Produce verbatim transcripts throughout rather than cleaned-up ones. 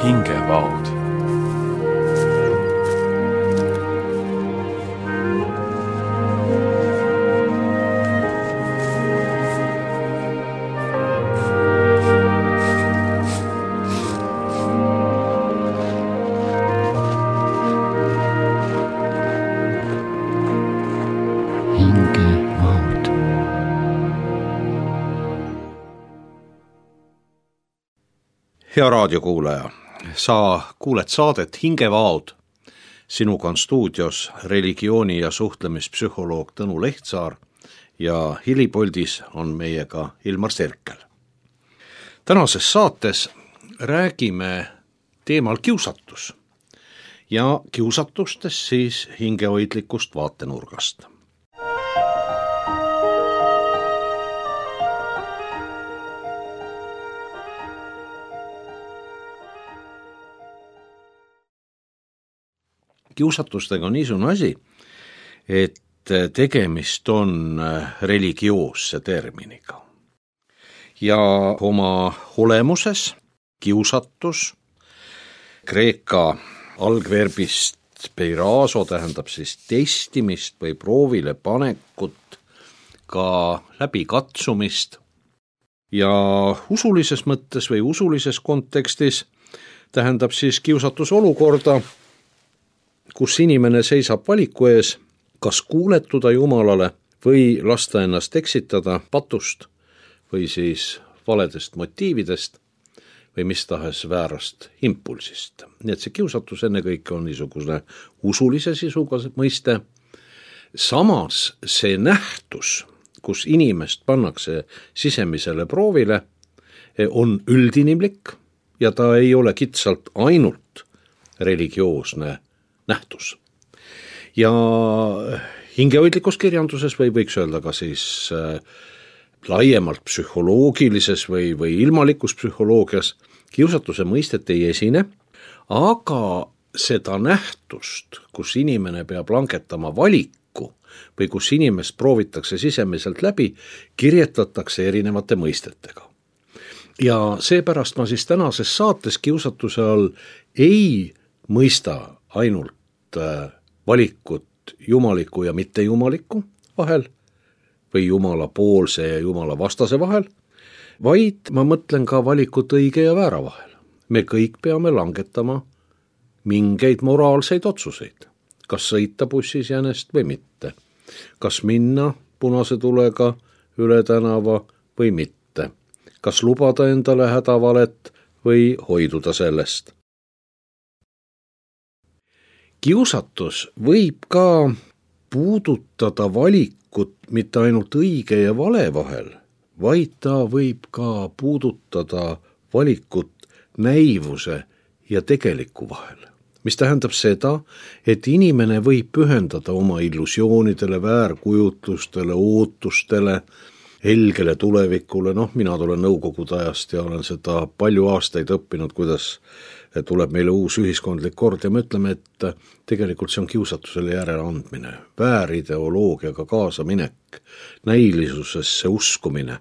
hingevaod. Hea raadiokuulaja, sa kuuled saadet Hingevaod. Sinuga on stuudios religiooni- ja suhtlemispsühholoog Tõnu Lehtsaar ja hilipuldis on meiega Ilmar Sirkel. Tänases saates räägime teemal kiusatus ja kiusatustest siis hingehoidlikust vaatenurgast. Kiusatustega on niisugune asi, et tegemist on religioosse terminiga. Ja oma olemuses kiusatus, kreeka algverbist peiraso tähendab siis testimist või proovile panekut, ka läbikatsumist. Ja usulises mõttes või usulises kontekstis tähendab siis kiusatus olukorda, kus inimene seisab valiku ees, kas kuuletuda Jumalale või lasta ennast eksitada patust või siis valedest motiividest või mis tahes väärast impulsist. Nii et see kiusatus ennekõike on niisugune usulise sisuga mõiste. Samas see nähtus, kus inimest pannakse sisemisele proovile, on üldinimlik ja ta ei ole kitsalt ainult religioosne nähtus. Ja hingehoidlikus kirjanduses või võiks öelda ka siis äh, laiemalt psühholoogilises või, või ilmalikus psühholoogias kiusatuse mõistet ei esine, aga seda nähtust, kus inimene peab langetama valiku või kus inimest proovitakse sisemiselt läbi, kirjetatakse erinevate mõistetega. Ja seepärast ma siis tänases saates kiusatuse all ei mõista ainult valikut jumaliku ja mittejumaliku vahel või jumala poolse ja jumala vastase vahel, vaid ma mõtlen ka valikut õige ja väära vahel. Me kõik peame langetama mingeid moraalseid otsuseid, kas sõita bussis jänest või mitte, kas minna punase tulega üle tänava või mitte, kas lubada endale hädavalet või hoiduda sellest. Kiusatus võib ka puudutada valikut mitte ainult õige ja vale vahel, vaid ta võib ka puudutada valikut näivuse ja tegeliku vahel. Mis tähendab seda, et inimene võib pühendada oma illusioonidele, väärkujutlustele, ootustele, helgele tulevikule. Noh, mina tulen nõukogude ajast ja olen seda palju aastaid õppinud, kuidas tuleb meile uus ühiskondlik kord ja me ütleme, et tegelikult see on kiusatusele järele andmine, väärideoloogiaga kaasaminek, näilisusesse uskumine,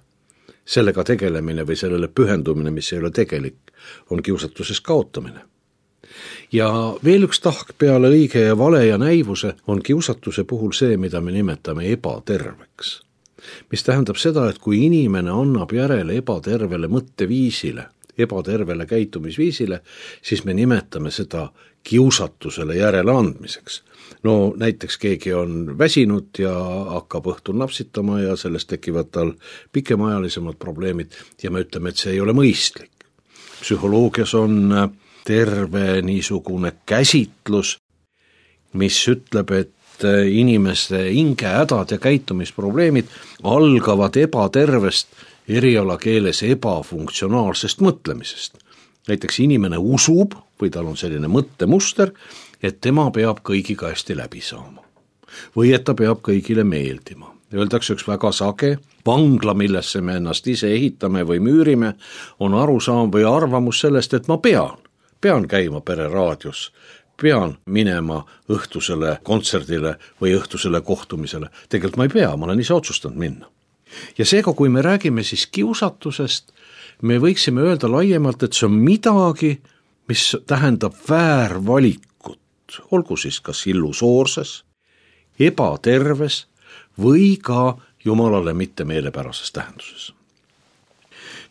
sellega tegelemine või sellele pühendumine, mis ei ole tegelik, on kiusatuses kaotamine. Ja veel üks tahk peale õige ja vale ja näivuse on kiusatuse puhul see, mida me nimetame ebaterveks. Mis tähendab seda, et kui inimene annab järele ebatervele mõtteviisile, ebatervele käitumisviisile, siis me nimetame seda kiusatusele järele andmiseks. No näiteks keegi on väsinud ja hakkab õhtul napsitama ja sellest tekivad tal pikemaajalisemad probleemid ja me ütleme, et see ei ole mõistlik. Psühholoogias on terve niisugune käsitlus, mis ütleb, et inimeste hingehädad ja käitumisprobleemid algavad ebatervest erialakeeles ebafunktsionaalsest mõtlemisest. Näiteks inimene usub või tal on selline mõttemuster, et tema peab kõigiga hästi läbi saama. Või et ta peab kõigile meeldima. Öeldakse üks väga sage, vangla, millesse me ennast ise ehitame või müürime, on arusaam või arvamus sellest, et ma pean. Pean käima pereraadios, pean minema õhtusele kontserdile või õhtusele kohtumisele. Tegelikult ma ei pea, ma olen ise otsustanud minna. Ja seega, kui me räägime siis kiusatusest, me võiksime öelda laiemalt, et see on midagi, mis tähendab väärvalikut, olgu siis kas illusoorses, ebaterves või ka jumalale mitte meelepärases tähenduses.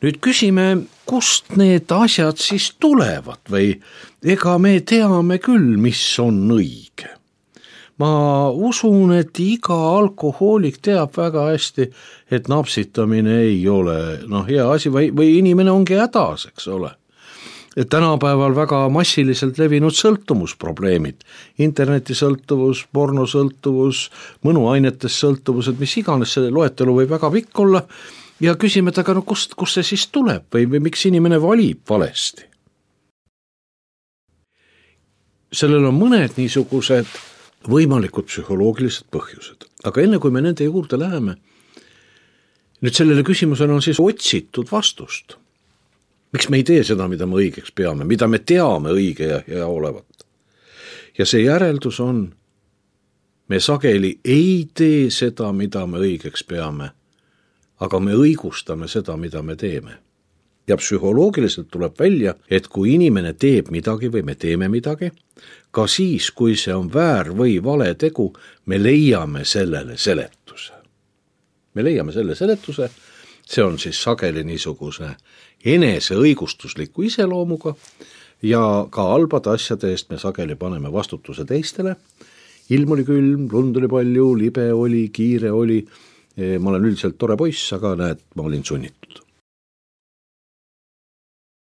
Nüüd küsime, kust need asjad siis tulevad või ega me teame küll, mis on õige. Ma usun, et iga alkohoolik teab väga hästi, et napsitamine ei ole no, hea asi või, või inimene ongi hädas, eks ole. Et tänapäeval väga massiliselt levinud sõltumusprobleemid, internetisõltuvus, pornosõltuvus, mõnuainetes sõltuvused, mis iganes see loetelu võib väga pikk olla ja küsime, et aga no kust, kust see siis tuleb või, või miks inimene valib valesti? Sellel on mõned niisugused võimalikud psühholoogilised põhjused, aga enne kui me nende juurde läheme, nüüd sellele küsimusele on siis otsitud vastust. Miks me ei tee seda, mida me õigeks peame, mida me teame õige ja hea olevat? Ja see järeldus on, me sageli ei tee seda, mida me õigeks peame, aga me õigustame seda, mida me teeme. Ja psühholoogiliselt tuleb välja, et kui inimene teeb midagi või me teeme midagi, ka siis, kui see on väär või vale tegu, me leiame sellele seletuse. Me leiame selle seletuse, see on siis sageli niisuguse enese õigustusliku iseloomuga ja ka halbade asjade eest me sageli paneme vastutuse teistele. Ilm oli külm, lund oli palju, libe oli, kiire oli, ma olen üldiselt tore poiss, aga näed, ma olin sunnitud.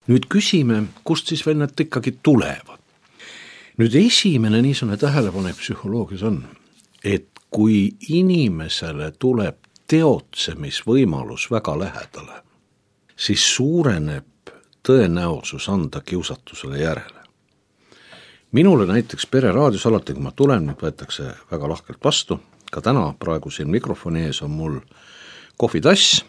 Nüüd küsime, kust siis veel need ikkagi tulevad. Nüüd esimene niisugune tähelepanek psühholoogias on, et kui inimesele tuleb teotsemisvõimalus väga lähedale, siis suureneb tõenäosus anda kiusatusele järele. Minule näiteks pereraadios alati, kui ma tulen, nüüd võetakse väga lahkelt vastu, ka täna praegu siin mikrofoni ees on mul kohvitass,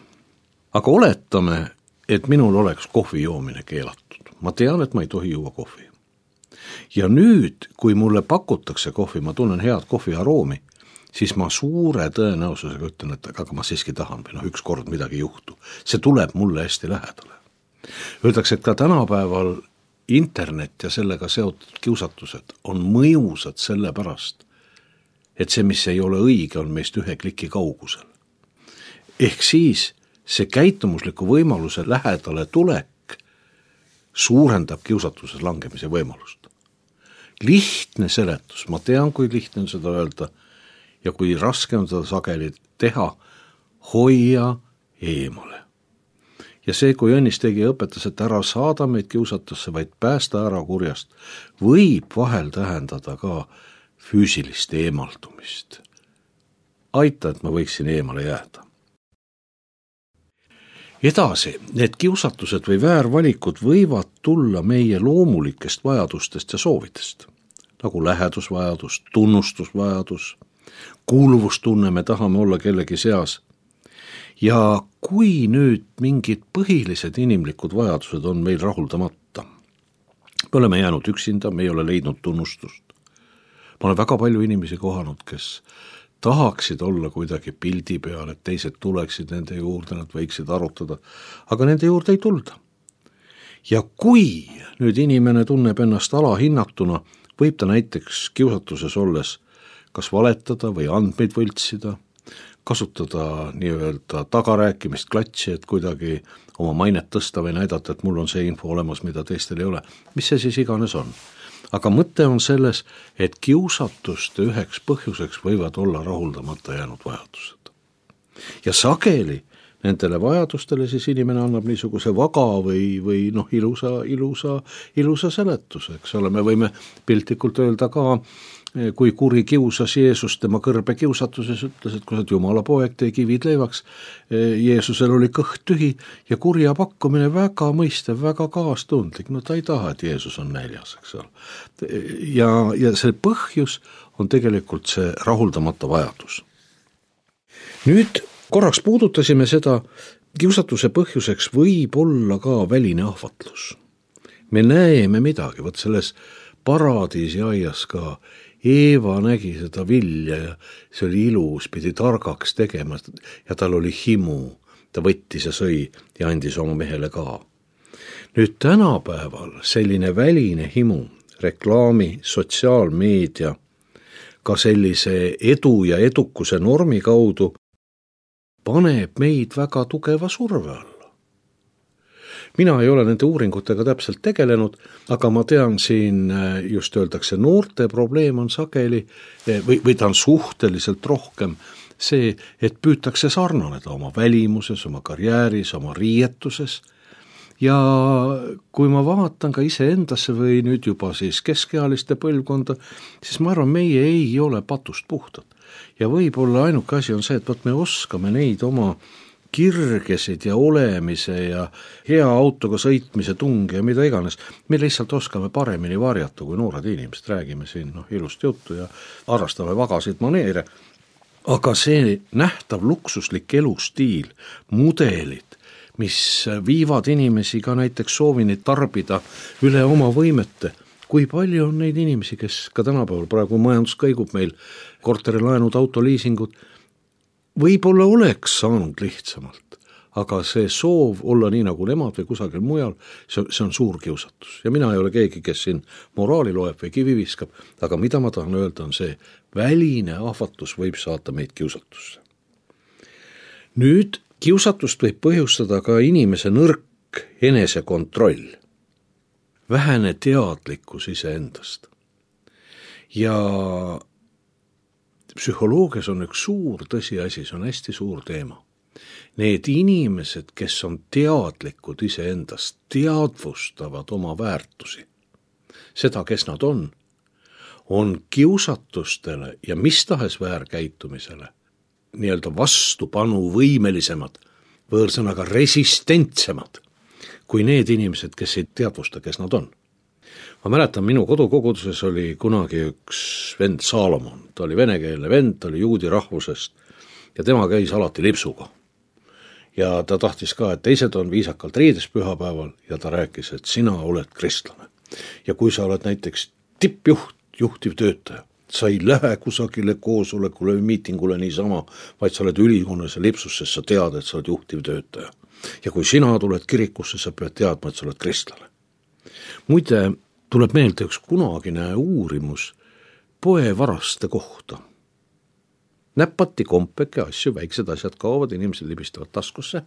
aga oletame, et minul oleks kohvi joomine keelatud. Ma tean, et ma ei tohi juua kohvi. Ja nüüd, kui mulle pakutakse kohvi, ma tunnen head kohvi aroomi, siis ma suure tõenäosusega ütlen, et aga ma siiski tahan või no üks kord midagi juhtu. See tuleb mulle hästi lähedale. Öeldakse, et ka tänapäeval internet ja sellega seotud kiusatused on mõjusad selle pärast, et see, mis ei ole õige, on meist ühe kliki kaugusel. Ehk siis see käitumusliku võimaluse lähedale tulek suurendab kiusatuses langemise võimalust. Lihtne seletus, ma tean, kui lihtne on seda öelda ja kui raske on seda sageli teha, hoia eemale. Ja see, kui Õnnis tegi õpetas, et ära saada meid kiusatusse, vaid päästa ära kurjast, võib vahel tähendada ka füüsilist eemaldumist. Aita, et ma võiksin eemale jääda. Edasi, need kiusatused või väärvalikud võivad tulla meie loomulikest vajadustest ja soovidest, nagu lähedusvajadus, tunnustusvajadus, kuuluvustunne, me tahame olla kellegi seas. Ja kui nüüd mingid põhilised inimlikud vajadused on meil rahuldamata, me oleme jäänud üksinda, me ei ole leidnud tunnustust. Ma olen väga palju inimesi kohanud, kes tahaksid olla kuidagi pildi peal, et teised tuleksid nende juurde, nad võiksid arutada, aga nende juurde ei tulda. Ja kui nüüd inimene tunneb ennast alahinnatuna, võib ta näiteks kiusatuses olles kas valetada või andmeid võltsida, kasutada nii-öelda tagarääkimist klatsi, et kuidagi oma mainet tõsta või näidata, et mul on see info olemas, mida teistel ei ole. Mis see siis iganes on? Aga mõte on selles, et kiusatuste üheks põhjuseks võivad olla rahuldamata jäänud vajadused. Ja sageli nendele vajadustele siis inimene annab niisuguse vaga või, või noh, ilusa, ilusa, ilusa seletuse, eks ole. Me võime piltlikult öelda ka, kui kuri kiusas Jeesus tema kõrbe kiusatuses, ütles, et kui sa Jumala poeg, tee kivid leivaks. Jeesusel oli kõht tühi ja kurja pakkumine väga mõistev, väga kaastundlik. No ta ei taha, et Jeesus on näljas, eks ole. Ja, ja see põhjus on tegelikult see rahuldamata vajadus. Nüüd korraks puudutasime seda, kiusatuse põhjuseks võib olla ka väline ahvatlus. Me näeme midagi, võt selles paradiisi aias ka Eeva nägi seda vilja ja see oli ilus, pidi targaks tegema ja tal oli himu. Ta võttis ja sõi ja andis oma mehele ka. nüüd tänapäeval selline väline himu, reklaami, sotsiaalmeedia, ka sellise edu ja edukuse normi kaudu paneb meid väga tugeva surve alla. Mina ei ole nende uuringutega täpselt tegelenud, aga ma tean siin, just öeldakse, noorte probleem on sageli, või, või ta on suhteliselt rohkem see, et püütakse sarnaneda oma välimuses, oma karjääris, oma riietuses. Ja kui ma vaatan ka ise endasse või nüüd juba siis keskealiste põlvkonda, siis ma arvan, meie ei ole patust puhtad. Ja võib-olla ainuke asi on see, et võt me oskame neid oma kirgesid ja olemise ja hea autoga sõitmise tungi ja mida iganes. Me lihtsalt oskame paremini varjata, kui noored inimesed, räägime siin no, ilust juttu ja arvastame vagasid maneere. Aga see nähtav luksuslik elustiil, mudelid, mis viivad inimesi ka näiteks soovini tarbida üle oma võimete. Kui palju on neid inimesi, kes ka tänapäeval praegu majandus kõigub meil, korterilaenud, autoliisingud, võib-olla oleks saanud lihtsamalt, aga see soov olla nii nagu nemad või kusagil mujal, see, see on suur kiusatus. Ja mina ei ole keegi, kes siin moraali loeb või kivi viskab, aga mida ma tahan öelda on see, väline ahvatus võib saata meid kiusatusse. Nüüd kiusatust võib põhjustada ka inimese nõrk enesekontroll, vähene teadlikkus iseendast. Ja psühholoogias on üks suur tõsiasi, see on hästi suur teema. Need inimesed, kes on teadlikud iseendast, teadvustavad oma väärtusi. Seda, kes nad on, on kiusatustele ja mis tahes väärkäitumisele nii-öelda vastupanu võimelisemad, võõrsõnaga resistentsemad, kui need inimesed, kes ei teadvusta, kes nad on. Ma mäletan, minu kodukoguduses oli kunagi üks vend Saalomon. Ta oli venekeelne vend, ta oli juudi rahvusest ja tema käis alati lipsuga. Ja ta tahtis ka, et teised on viisakalt riides pühapäeval ja ta rääkis, et sina oled kristlane. Ja kui sa oled näiteks tippjuht, juhtiv töötaja, sa ei lähe kusagile koosolekule või miitingule niisama, vaid sa oled ülikonnas ja lipsus, sest sa tead, et sa oled juhtiv töötaja. Ja kui sina tuled kirikusse, sa pead teadma, et sa oled kristlane. Muide, tuleb meelde üks kunagine uurimus poevaraste kohta. Näppati kompeke asju, väiksed asjad kaovad, inimesed libistavad taskusse.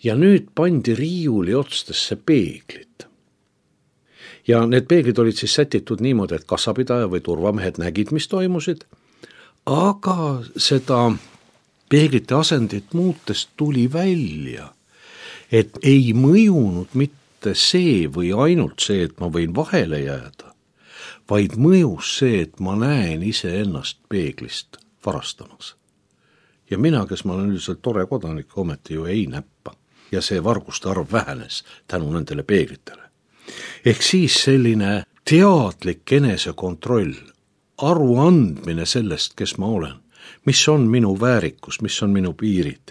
Ja nüüd pandi riiuli otstesse peeglid. Ja need peeglid olid siis sätitud niimoodi, et kassapidaja või turvamehed nägid, mis toimusid. Aga seda peeglite asendit muutes tuli välja, et ei mõjunud mitte see või ainult see, et ma võin vahele jääda, vaid mõjus see, et ma näen ise ennast peeglist varastamas. Ja mina, kes ma olen üldiselt tore kodanik, ometi ju ei näppa. Ja see varguste arv vähenes tänu nendele peeglitele. Ehk siis selline teadlik enesekontroll, aruandmine sellest, kes ma olen, mis on minu väärikus, mis on minu piirid.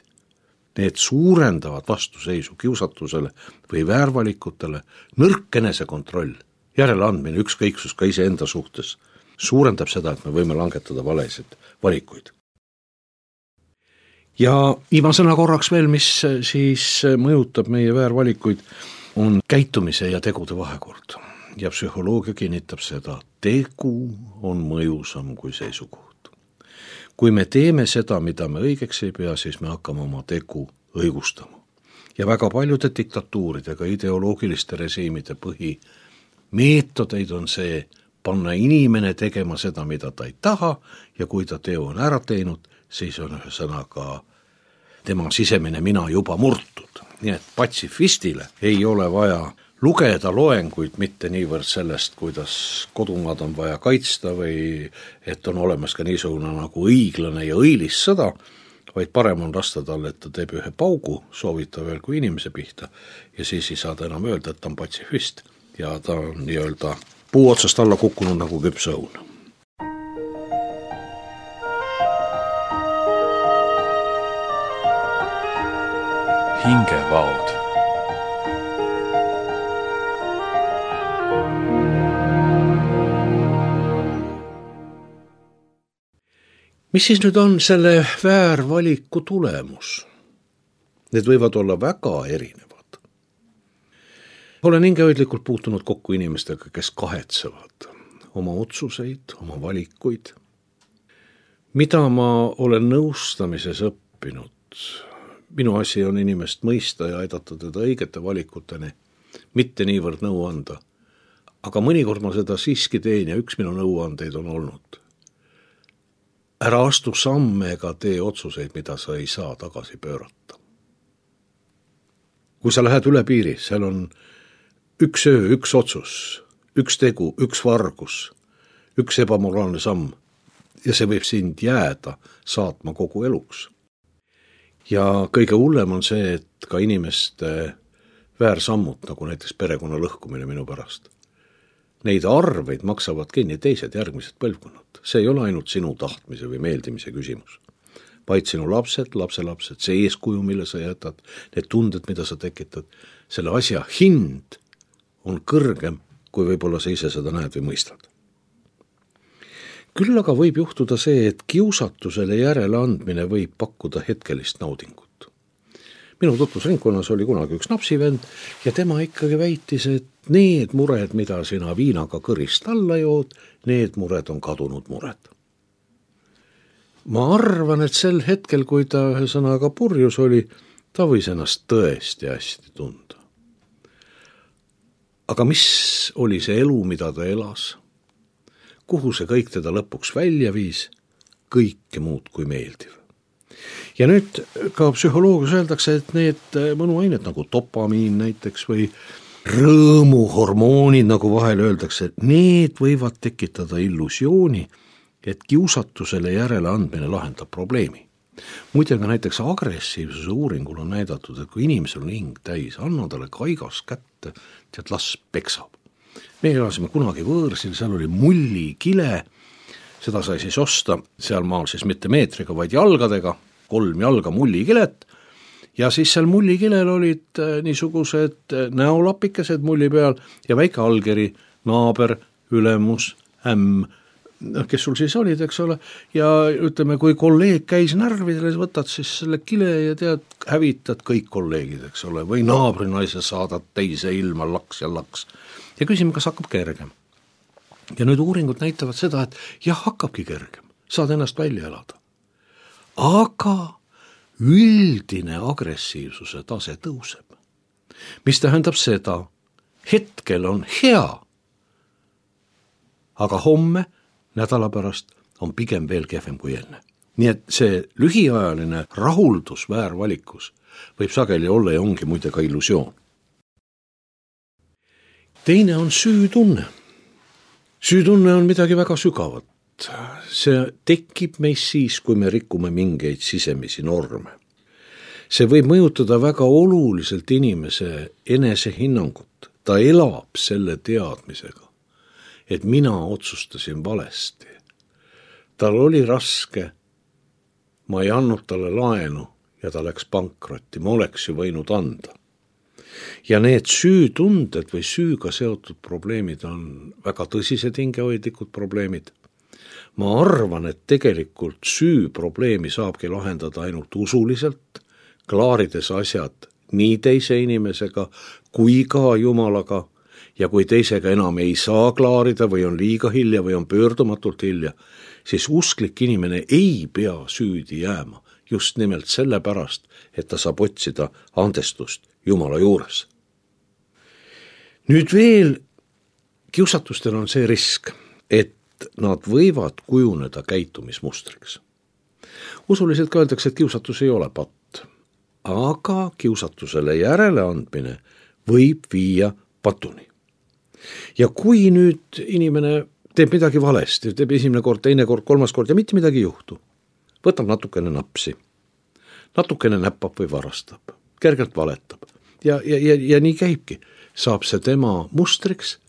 Need suurendavad vastuseisu kiusatusele või väärvalikutele, nõrk enesekontroll, järeleandmine, ükskõiksus ka iseenda suhtes, suurendab seda, et me võime langetada valesid valikuid. Ja viimasena korraks veel, mis siis mõjutab meie väärvalikuid, on käitumise ja tegude vahekord. Ja psühholoogia kinnitab seda, tegu on mõjusam kui seisukoht. Kui me teeme seda, mida me õigeks ei pea, siis me hakkame oma tegu õigustama. Ja väga paljude diktatuuridega, ideoloogiliste režiimide põhimeetodeid on see panna inimene tegema seda, mida ta ei taha, ja kui ta teo on ära teinud, siis on ühesõnaga tema sisemine mina juba murtud. Nii et patsifistile ei ole vaja lugeda loenguid mitte niivõrd sellest, kuidas kodumaad on vaja kaitsta või et on olemas ka niisugune nagu õiglane ja õilis sõda, vaid parem on lasta talle, et ta teeb ühe paugu, soovita veel kui inimese pihta ja siis ei saa ta enam öelda, et ta on patsifist ja ta on nii-öelda puu otsast alla kukkunud nagu küpsõun. Hingevaod. Mis siis nüüd on selle väärvaliku tulemus? Need võivad olla väga erinevad. olen hingehoidlikult puutunud kokku inimestega, kes kahetsevad oma otsuseid, oma valikuid. Mida ma olen nõustamises õppinud? Minu asi on inimest mõista ja aidata teda õigete valikuteni, mitte niivõrd nõu anda. Aga mõnikord ma seda siiski teen ja üks minu nõuandeid on olnud. Ära astu samme ega tee otsuseid, mida sa ei saa tagasi pöörata. Kui sa lähed üle piiri, seal on üks öö, üks otsus, üks tegu, üks vargus, üks ebamoraalne samm ja see võib sind jääda saatma kogu eluks. Ja kõige hullem on see, et ka inimeste väärsammud, nagu näiteks perekonna lõhkumine minu pärast. Neid arveid maksavad kinni teised järgmised põlvkonnad. See ei ole ainult sinu tahtmise või meeldimise küsimus, vaid sinu lapsed, lapselapsed, see eeskuju, mille sa jätad, need tunded, mida sa tekitad, selle asja hind on kõrgem, kui võib-olla sa ise seda näed või mõistad. Küll aga võib juhtuda see, et kiusatusele järele andmine võib pakkuda hetkelist naudingut. Minu tutvusringkonnas oli kunagi üks napsivend ja tema ikkagi väitis, et need mured, mida sina viinaga kõrist alla jood, need mured on kadunud mured. Ma arvan, et sel hetkel, kui ta ühesõnaga purjus oli, ta võis ennast tõesti hästi tunda. Aga mis oli see elu, mida ta elas? Kuhu see kõik teda lõpuks välja viis? Kõike muud kui meeldiv. Ja nüüd ka psühholoogias öeldakse, et need mõnuained nagu dopamiin näiteks või rõõmuhormoonid, nagu vahel öeldakse, et need võivad tekitada illusiooni, et kiusatusele järele andmine lahendab probleemi. Muide ka näiteks agressiivsuse uuringul on näidatud, et kui inimesel on hing täis, anna talle kaigas kätte, tead las peksab. Me elasime kunagi võõrsil, seal oli mullikile, seda sai siis osta, seal maal siis mitte meetriga, vaid jalgadega, kolm jalga mullikilet, ja siis seal mullikilel olid niisugused näolapikesed mulli peal ja väike allkiri, naaber, ülemus, ämm, kes sul siis olid, eks ole, ja ütleme, kui kolleeg käis närvidele, võtad siis selle kile ja tead, hävitad kõik kolleegid, eks ole, või naabrinaise saadad teise ilma laks ja laks. Ja küsime, kas hakkab kergem. Ja nüüd uuringud näitavad seda, et jah, hakkabki kergem, saad ennast välja elada. Aga üldine agressiivsuse tase tõuseb. Mis tähendab seda, hetkel on hea, aga homme, nädala pärast on pigem veel kehvem kui enne. Nii et see lühiajaline rahuldus väärvalikus võib sageli olla ja ongi muide ka illusioon. Teine on süütunne. Süütunne on midagi väga sügavat. See tekib meis siis, kui me rikume mingeid sisemisi norme. See võib mõjutada väga oluliselt inimese enesehinnangut. Ta elab selle teadmisega, et mina otsustasin valesti. Tal oli raske, ma ei andnud talle laenu ja ta läks pankrotti, ma oleks ju võinud anda. Ja need süütunded või süüga seotud probleemid on väga tõsised hingehoidlikud probleemid. Ma arvan, et tegelikult süü probleemi saabki lahendada ainult usuliselt, klaarides asjad nii teise inimesega kui ka Jumalaga, ja kui teisega enam ei saa klaarida või on liiga hilja või on pöördumatult hilja, siis usklik inimene ei pea süüdi jääma just nimelt selle pärast, et ta saab otsida andestust Jumala juures. Nüüd veel kiusatustel on see risk, et nad võivad kujuneda käitumismustriks. Usuliselt ka öeldakse, et kiusatus ei ole patt, aga kiusatusele järele andmine võib viia patuni. Ja kui nüüd inimene teeb midagi valesti, teeb esimene kord, teine kord, kolmas kord ja mitte midagi juhtu, võtab natukene napsi, natukene näppab või varastab, kergelt valetab ja, ja, ja, ja nii käibki. Saab see tema mustriks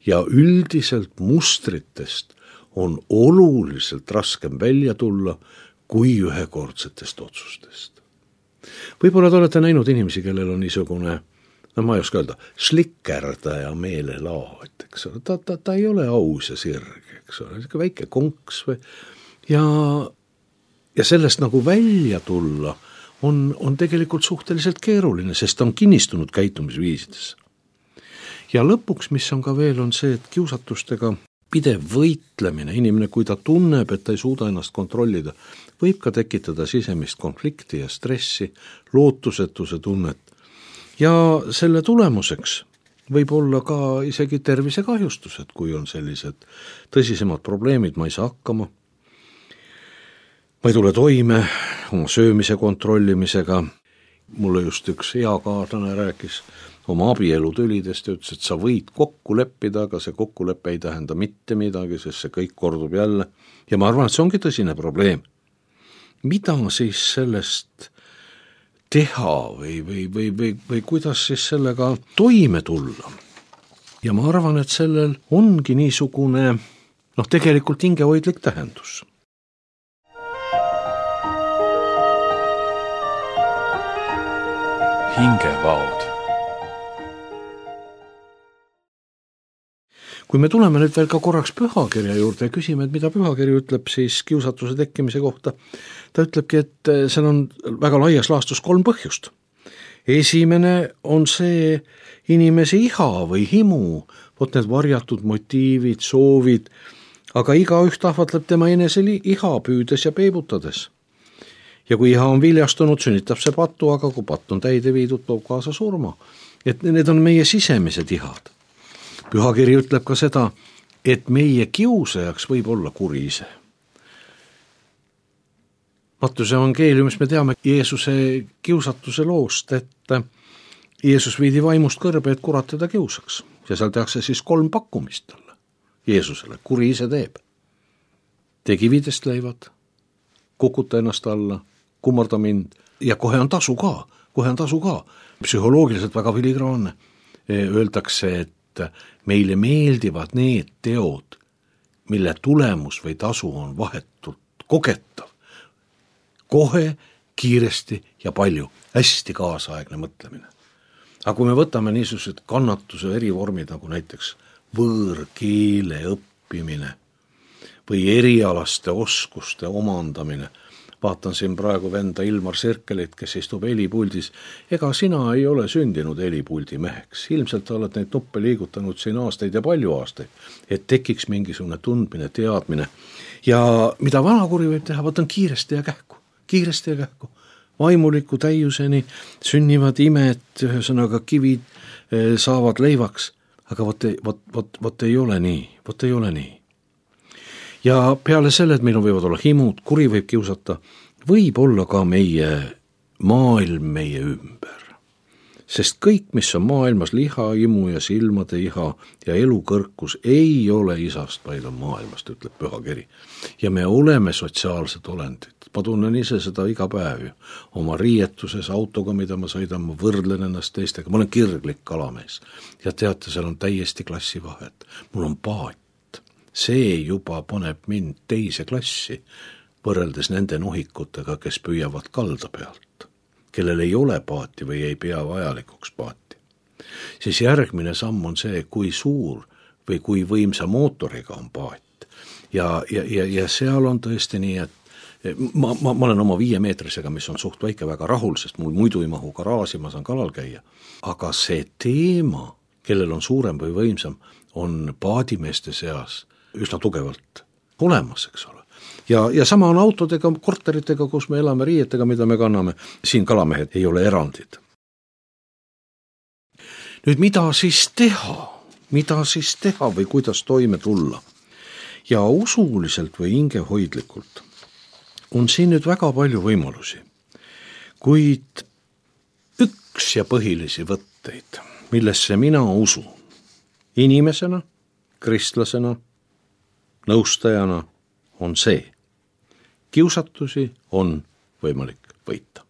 ja üldiselt mustritest on oluliselt raskem välja tulla kui ühekordsetest otsustest. Võib-olla te olete näinud inimesi, kellel on niisugune, no ma ei oska öelda, slikkerdaja meelelaad, eks ole, ta, ta, ta ei ole aus ja sirge, eks ole, väike konks või, ja, ja sellest nagu välja tulla on, on tegelikult suhteliselt keeruline, sest ta on kinnistunud käitumisviisides. ja lõpuks, mis on ka veel, on see, et kiusatustega pidev võitlemine, inimene, kui ta tunneb, et ta ei suuda ennast kontrollida, võib ka tekitada sisemist konflikti ja stressi, lootusetuse tunnet. Ja selle tulemuseks võib olla ka isegi tervisekahjustused, kui on sellised tõsisemad probleemid, ma ei saa hakkama, ma ei tule toime oma söömise kontrollimisega. Mulle just üks hea kaaslane rääkis oma abielutülidest ja ütles, et sa võid kokku leppida, aga see kokkulepe ei tähenda mitte midagi, sest see kõik kordub jälle. Ja ma arvan, et see ongi tõsine probleem. Mida siis sellest teha või, või, või, või, või kuidas siis sellega toime tulla? Ja ma arvan, et sellel ongi niisugune, noh, tegelikult hingehoidlik tähendus. Hingevaod. Kui me tuleme nüüd veel ka korraks pühakirja juurde ja küsime, et mida pühakiri ütleb siis kiusatuse tekkimise kohta, ta ütlebki, et seal on väga laias laastus kolm põhjust. Esimene on see inimese iha või himu, vot need varjatud motiivid, soovid, aga igaüht ahvatleb tema enese iha püüdes ja peibutades. Ja kui iha on viljastunud, sünnitab see patu, aga kui patt on täide viidud, toob kaasa surma. Et need on meie sisemised ihad. Pühakiri ütleb ka seda, et meie kiusajaks võib olla kuri ise. Mattuse evangeeliumis me teame Jeesuse kiusatuse loost, et Jeesus viidi vaimust kõrbe, et kurat teda kiusaks. Ja seal tehakse siis kolm pakkumist talle, Jeesusele, kuri ise teeb. Tee kividest leivad, kukuta ennast alla, kummarda mind ja kohe on tasu ka, kohe on tasu ka. Psühholoogiliselt väga filigraanne. Öeldakse, et meile meeldivad need teod, mille tulemus või tasu on vahetult kogetav. Kohe, kiiresti ja palju, hästi kaasaegne mõtlemine. Aga kui me võtame niisugused kannatuse erivormid, nagu näiteks võõrkeele õppimine või erialaste oskuste omandamine, vaatan siin praegu venda Ilmar Sirkelit, kes istub helipuldis. Ega sina ei ole sündinud helipuldi meheks. Ilmselt oled neid nuppe liigutanud siin aastaid ja palju aastaid, et tekiks mingisugune tundmine, teadmine. Ja mida vanakuri võib teha, võtan kiiresti ja kähku, kiiresti ja kähku. Vaimuliku täiuseni sünnivad imed, ühesõnaga kivid saavad leivaks, aga vot, vot, vot, vot ei ole nii, vot ei ole nii. Ja peale selle, et meil võivad olla himud, kuri võib kiusata, võib olla ka meie maailm meie ümber. Sest kõik, mis on maailmas, liha, imu ja silmade iha ja elukõrkus ei ole isast, vaid on maailmast, ütleb pühakiri. Ja me oleme sotsiaalsed olendid. Ma tunnen ise seda iga päev ju. Oma riietuses autoga, mida ma sõidan, ma võrdlen ennast teistega. Ma olen kirglik kalamees. Ja teate, seal on täiesti klassi vahet. Mul on paat. See juba paneb mind teise klassi, võrreldes nende nohikutega, kes püüavad kalda pealt, kellel ei ole paati või ei pea vajalikuks paati. Siis järgmine samm on see, kui suur või kui võimsa mootoriga on paat. Ja, ja, ja, ja seal on tõesti nii, et ma, ma, ma olen oma viiemeetrisega, mis on suht väike, väga rahul, sest mul muidu ei mahu garaaži, ma saan kalal käia. Aga see teema, kellel on suurem või võimsam, on paadimeeste seas üsna tugevalt olemas, eks ole. Ja, ja sama on autodega, korteritega, kus me elame, riietega, mida me kanname. Siin kalamehed ei ole erandid. Nüüd, mida siis teha? Mida siis teha või kuidas toime tulla? Ja usuliselt või hingehoidlikult on siin nüüd väga palju võimalusi. Kuid üks ja põhilisi võtteid, millesse mina usun, inimesena, kristlasena, nõustajana on see. Kiusatusi on võimalik võita.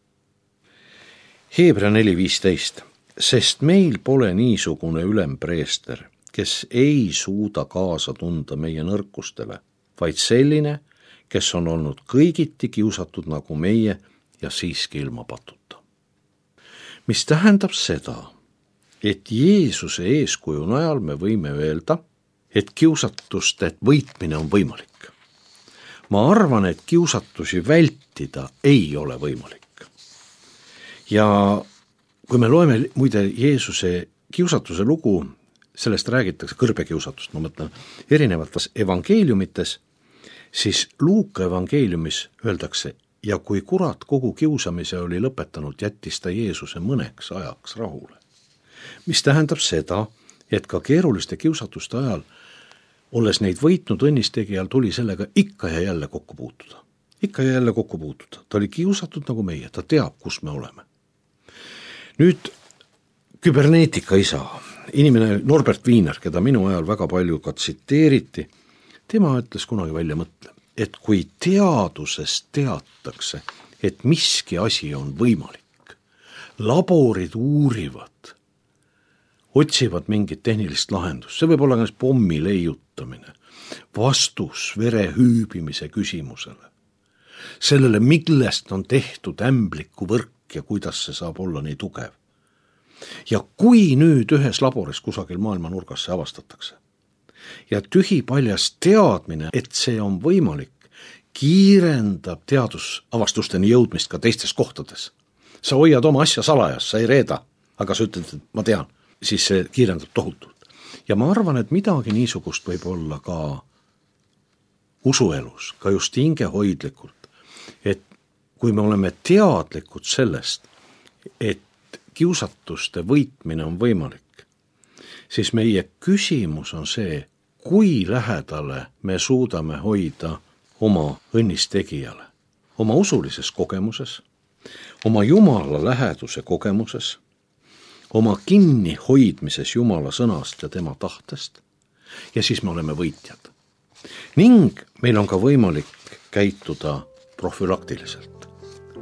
Heebrea neli viisteist. Sest meil pole niisugune ülempreester, kes ei suuda kaasa tunda meie nõrkustele, vaid selline, kes on olnud kõigiti kiusatud nagu meie ja siiski ilma patuta. Mis tähendab seda, et Jeesuse eeskuju najal me võime öelda, et kiusatuste võitmine on võimalik. Ma arvan, et kiusatusi vältida ei ole võimalik. Ja kui me loeme muide Jeesuse kiusatuse lugu, sellest räägitakse, kõrbekiusatust, ma mõtlen, erinevates evangeeliumites, siis Luuka evangeeliumis öeldakse, ja kui kurat kogu kiusamise oli lõpetanud, jättis ta Jeesuse mõneks ajaks rahule. Mis tähendab seda, et ka keeruliste kiusatuste ajal, olles neid võitnud õnnistegijal, tuli sellega ikka ja jälle kokku puutuda. Ikka ja jälle kokku puutuda. Ta oli kiusatud nagu meie, ta teab, kus me oleme. Nüüd küberneetika isa, inimene Norbert Wiener, keda minu ajal väga palju ka tsiteeriti, tema ütles kunagi välja mõtle, et kui teaduses teatakse, et miski asi on võimalik, laborid uurivad, otsivad mingit tehnilist lahendust, see võib olla näiteks pommi leiutamine, vastus vere hüübimise küsimusele, sellele, millest on tehtud ämbliku võrk ja kuidas see saab olla nii tugev. Ja kui nüüd ühes laboris kusagil maailma nurgas see avastatakse ja tühipaljas teadmine, et see on võimalik, kiirendab teadusavastusteni jõudmist ka teistes kohtades. Sa hoiad oma asja salajas, sa ei reeda, aga sa ütled, et ma tean, siis see kiirendab tohutult. Ja ma arvan, et midagi niisugust võib olla ka usuelus, ka just hingehoidlikult, et kui me oleme teadlikud sellest, et kiusatuste võitmine on võimalik, siis meie küsimus on see, kui lähedale me suudame hoida oma õnnistegijale, oma usulises kogemuses, oma Jumala läheduse kogemuses, oma kinni hoidmises Jumala sõnast ja tema tahtest, ja siis me oleme võitjad. Ning meil on ka võimalik käituda profülaktiliselt,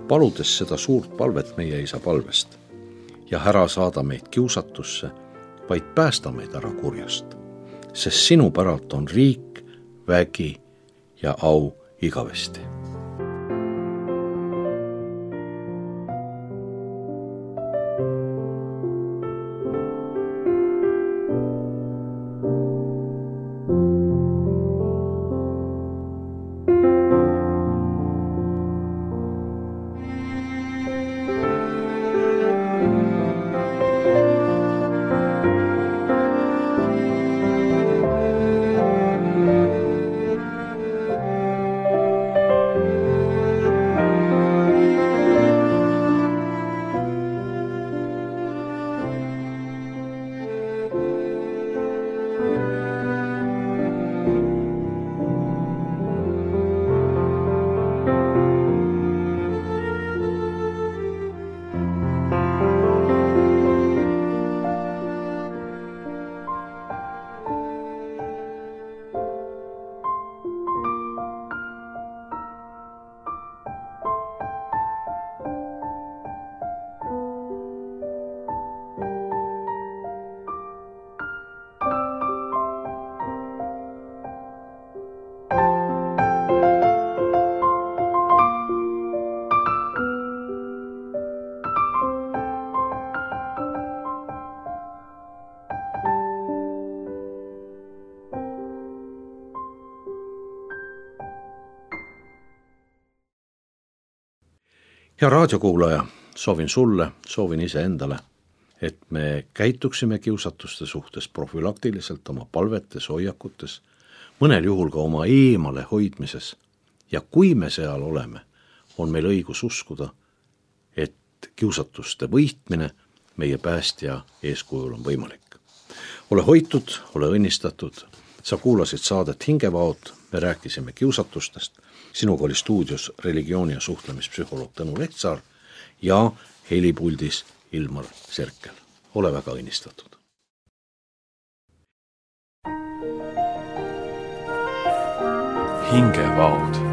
paludes seda suurt palvet meie isa palvest ja ära saada meid kiusatusse, vaid päästa meid ära kurjast, sest sinu päralt on riik, vägi ja au igavesti. Hea raadiokuulaja, soovin sulle, soovin ise endale, et me käituksime kiusatuste suhtes profülaktiliselt oma palvetes, hoiakutes, mõnel juhul ka oma eemale hoidmises. Ja kui me seal oleme, on meil õigus uskuda, et kiusatuste võitmine meie päästja eeskujul on võimalik. Ole hoitud, ole õnnistatud, sa kuulasid saadet Hingevaod, me rääkisime kiusatustest. Sinuga oli stuudios religiooni- ja suhtlemispsühholoog Tõnu Lehtsaar ja helipuldis Ilmar Serkel. Ole väga õnnistatud. Hingevaod.